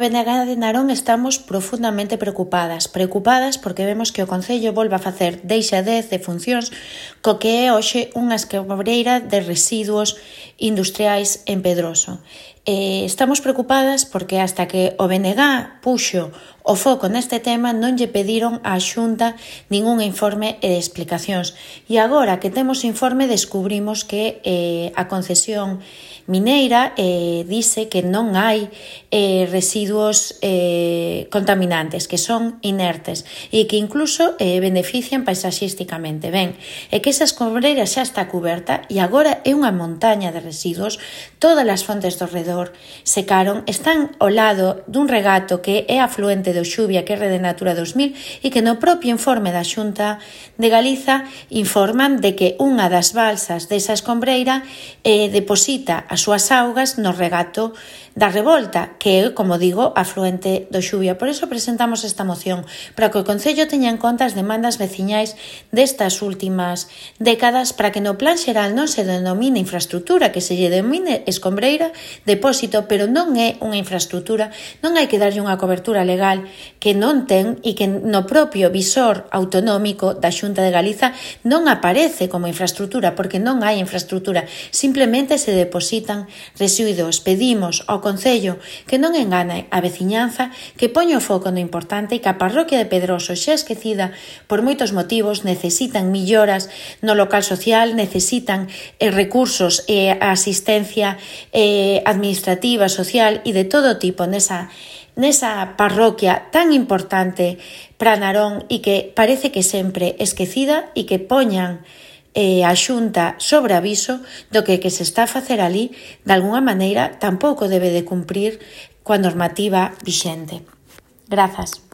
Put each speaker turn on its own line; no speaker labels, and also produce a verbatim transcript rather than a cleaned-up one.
B N G de Narón estamos profundamente preocupadas. Preocupadas porque vemos que o Concello volve a facer deixa dez de funcións co que é hoxe unha escobreira de residuos industriais en Pedroso. Eh, estamos preocupadas porque hasta que o B N G puxo o foco neste tema non lle pediron á Xunta ningún informe e explicacións. E agora que temos informe descubrimos que eh, a concesión mineira eh, dice que non hai eh, residuos eh, contaminantes, que son inertes e que incluso eh, benefician paisaxísticamente. Ben, é que esa escombreira xa está cuberta e agora é unha montaña de residuos. Todas as fontes do redor secaron, están ao lado dun regato que é afluente do Xuvia, que é Rede Natura dos mil, e que no propio informe da Xunta de Galiza informan de que unha das balsas desa escombreira eh, deposita as súas augas no regato da Revolta, que é, como digo, afluente do Xuvia. Por eso presentamos esta moción, para que o Concello teña en conta as demandas veciñais destas últimas décadas, para que no plan xeral non se denomine infraestructura, que se lle denomine escombreira, depósito, pero non é unha infraestructura, non hai que darlle unha cobertura legal que non ten e que no propio visor autonómico da Xunta de Galiza non aparece como infraestructura, porque non hai infraestructura, simplemente se depositan residuos. Pedimos ao Concello que non engane a veciñanza, que poña o foco no importante e que a parroquia de Pedroso, xa esquecida por moitos motivos, necesitan melloras no local social, necesitan eh, recursos e eh, asistencia eh, administrativa, social e de todo tipo nesa nesa parroquia tan importante para Narón e que parece que sempre esquecida, e que poñan eh, a Xunta sobre aviso do que que se está a facer ali, de alguna maneira tampouco debe de cumprir coa normativa vixente. Grazas.